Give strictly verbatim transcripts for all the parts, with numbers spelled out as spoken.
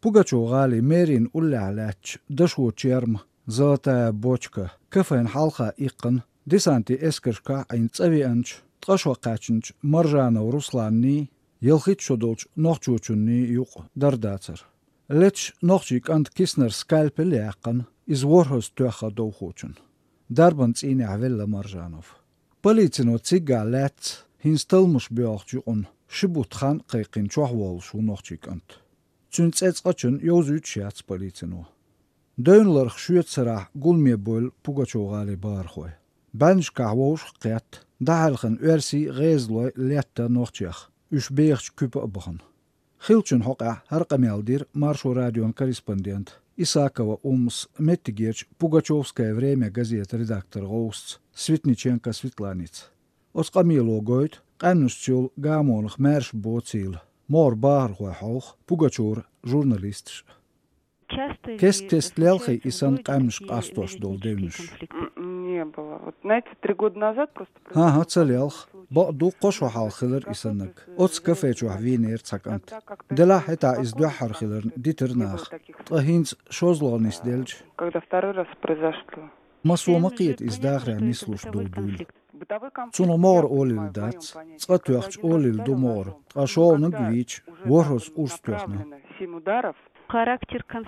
Пугачёв-гӀалин мэрин уллехь лаьттачу «Дашо черма», «Золотая бочка» кафен хьалха иккхина десантан эскаршкахь Ӏийна цӀа веанчу, ткъа шо кхаьчначу Маржанов Русланний, ялхитта шо долчу нохчочунний юкъа дара дацара. Леташ нохчийн кӀанта киснара скальпель яьккхина иза ворхӀазза тоьхна довхочунна. Дарбан цӀийнехь велла Маржанов. Полицино циггахь лаьцна хӀинца талламаш боьлхучу юкъана ши бутт хан а кхайкхина чохь воллуш ву нохчийн кӀант. Цуьнан цӀе цкъачунна йовзуьйтуш яц полицино. Девнан ларах шоьтан сарахь гуламе бевлла Пугачёв-гӀалин бахархой. БӀаьннашкахь вовшах а кхетта, дӀахьаьрхина оьрсий а, гӀезалой а летта нохчех, уьш бехачу куьпа а бахана. Хиллачун хьокъехь хӀара къамел дира Маршо радион корреспондента Исакова Уммас меттигерчу «Пугачёвское время» газетан редакторан гӀовсаца Светниченко Светланица. Оцу къамело гойту къаьмнашца йолу гамонах маьрша боцийла могӀара бахархой хьовха Пугачёвра журналисташ а. Кест-кеста лелхий и санна къаьмнаш къастош долу девнаш? М, не было. Вот, знаете, три года назад просто... ХӀан-хӀа, ца лелха. Бакъду, кхо шо хьалха хилира и саннарг. Оцу кафе чохь вийнера цхьа кӀант. Делахь хӀетахь иза дуьххьара хиларна дитира наха. Ткъа хӀинца шозлагӀа нисделча... Когда второй раз произошло. Массо ма кхета иза дахарехь нислуш долу дуьйла. Цунах могӀара олийла дац, цкъа тоьхча олийла ду могӀара, ткъа шолгӀаниг вийча, ворхӀазза урс тоьхна.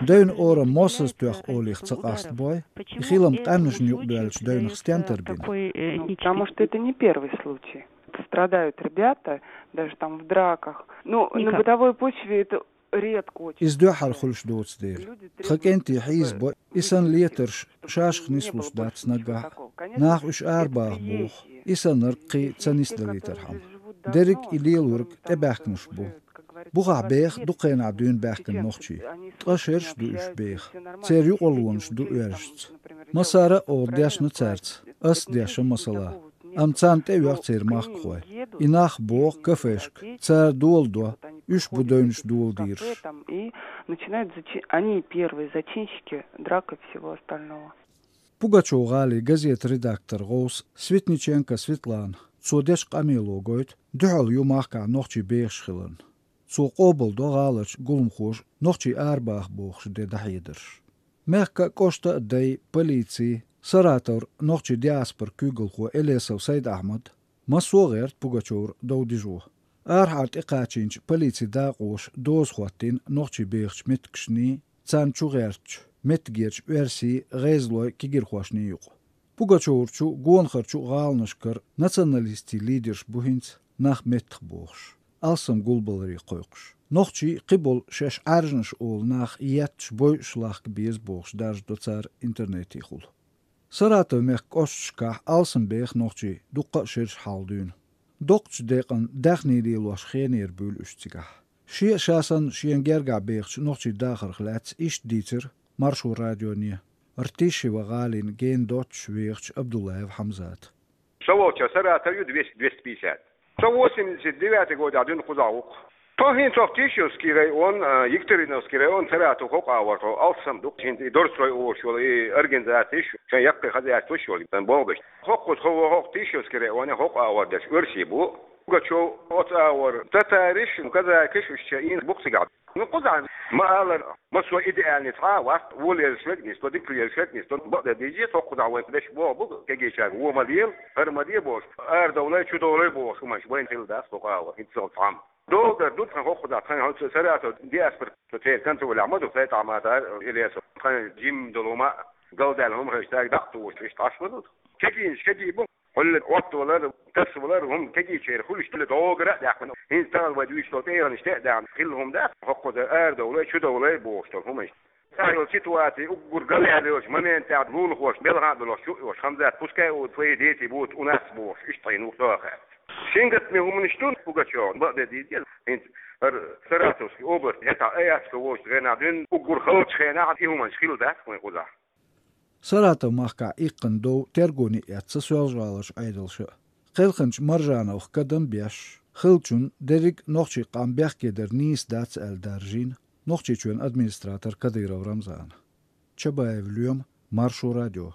Девнан орам мосазза тоьхна олийла ца къастабой, и хилам къаьмнашна юкъадоьллачу девнах стен тарбина. Потому что это не первый случай. Страдают ребята, даже там в драках. Ну, на бытовой почве это редко очень. Иза дуьххьара хуьлуш доцу дела. Тхан кӀентий хьийзабо, и санна летарш шашах нислуш дац наггахь а. Наха уьш арабаха боху, и саннарг кхин ца нисдалийтархьама. Дерриг и лелориг тӀебаьхкинарш бу. Бухахь беха дукха хенахь дуьйна баьхкина нохчий. Ткъа шераш а ду уьш беха. Церан юкъарлонаш ду оьржаца. Массара а оха дешна цаьрца, ас а дешна масала. Амма царна тӀеоьху церан махкахой. И нах боху кафешка, цара доладо, уьш бу девнаш доладийраш. И начинают зачи-, они первые зачинщики драк и всего остального. Пугачёв-гӀалин газетан редакторан гӀовса Светниченко Светлана, цо дечу къамело гойту, дуьхьал ю махкахь нохчий бехаш хиларна. Цо къобалдо гӀаларчу гуламхоша нохчий арабаха бохуш де дӀахьедарш. Мехкан а, кӀоштан а дай, полици, Саратовра нохчийн диаспоран куьйгалхо Элесов Сайд-Ахьмад массо а гӀерта Пугачёвра дов дижо. Арахьара тӀекхачийначу полицин дакъоша доза хӀоттийна нохчий бехачу меттигашний, царна чу гӀертачу меттигерчу оьрсийн, гӀезалойн кегирхошний юкъа. Пугачёврачу, гонахарчу гӀаланашкара националистийн лидерш бу хӀинца нах меттахбохуш, алсам гулбаларе кхойкхуш. Нохчий кхиболу шаьш Ӏаьржанаш олу нах етташ, бойуш лахка беза бохуш даржадо цара интернетехула. Саратов-мехкан кӀошташкахь алсам беха нохчий дуккха а шераш хьалха дуьйна. Доккхачу декъана даьхний лелош хенера буьйлу уьш цигахь. Шен а ша санна шена гергахь бехачу нохчийн дахарх лаьцна иштта дийцира Маршо радионе Ртищево-гӀалина гена доццуш вехачу Абдуллаев Хьамзата. Со волча Саратов ю двести, двести пятьдесят. Со восемьдесят девятый годехь дуьйна кхузахь ву-кх. Со хӀинца Тищевский район, а, Екатериновский район, Саратов хӀокху агӀор, тхо алсам ду-кх, хӀинца и Дорстрой олуш йолу и организацеш, шайн яккхий хозяйствош йолу, сан болх беш. ХӀокхуза тхо ву хӀокху Тищевский районе, хӀокху агӀор дерш оьрсий бу. Пугачёв оцу агӀор татариш, казакиш уьш ча ийна бу-кх цигахь. Ну, кхузахь ма аллара, массо а идеальный цхьа а вац, вон лелаш верг а нисдо, дика лелаш верг а нисдо, бакъдерг дийцича, хӀокхузахь вайн дешаш боху бу, кегийчаьрга вон ма лела, хӀара ма де бохуш, арадовлай, чудовлай бохуш хӀуманаш вайна хилла дац хӀокху агӀор, хӀинца цхьамма. ДогӀу дар ду тхан хӀокхузахь, тхан хӀокху Саратов диаспора, со церан кӀант валахь ма ду, Сайд-Ахьмад а, Элесов, тхан жимма долу хӀума а, галдаьлла хӀума хезча, цаьрга дӀа а тухуш, иштта Ӏаш ма ду. Кегийнаш кегий бу. Хьуьлла Ӏоттавалар, тасавалар, хӀума кегийчеран хуьлуш хилла догара а даьккхина, хӀинца тахана вай дуьйцуш долу тӀегӀанаш тӀе а даьхна, хилла хӀума дац, хӀокхуза арадовлай, чудовлай бохуш долу хӀуманаш. Цхьа йолу ситуаци уггар галъяьлла йолчу моментехь лулахош, белхан а долуш, шу а йолуш, Хамзат, пускай у твои дети будут у нас бохуш, иштта хьийна ву со а хаьттича. Шин гатаме хӀуманаш ду Пугачёвна, бакъдерг дийцича, хӀинца хӀара Саратовский область, хӀетахь Аяцкий волчу хенахь дуьйна, уггар халчу хенахь и хӀуманаш хилла дац вайн кхузахь. Саратов-махкахь иккхина дов тергоне эцна Соьлжа-ГӀаларчу Ӏедалша а. Кхелхинчу Маржановх кадам беш, хиллачунна дерриг а нохчийн къам бехке дар нийса дац аьлла даржийна Нохчийчоьнан администратор Кадыров Рамзана. Чабаев Лоьма, Маршо радио.